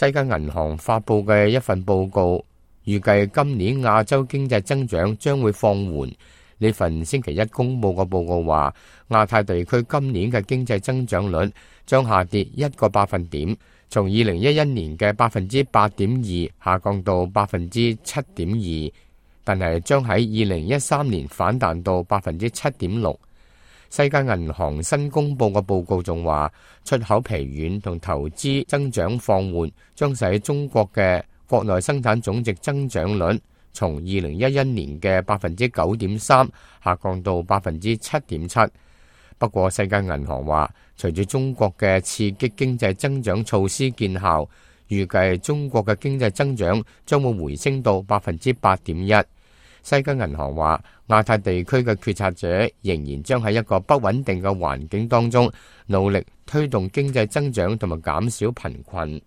世界銀行發佈嘅一份報告，預計今年亞洲經濟增長將會放緩。呢份星期一公佈嘅報告話，亞太地區今年嘅經濟增長率將下跌1個百分點，從2011年嘅8.2%下降到7.2%，但係將喺2013年反彈到7.6%。世界銀行新公佈嘅報告仲話，出口疲軟同投資增長放緩，將使中國嘅國內生產總值增長率從2011年嘅9.3%下降到7.7%。不過，世界銀行話，隨住中國嘅刺激經濟增長措施見效，預計中國嘅經濟增長將會回升到8.1%。世界銀行話，亞太地區嘅決策者仍然將喺一個不穩定嘅環境當中，努力推動經濟增長同埋減少貧困。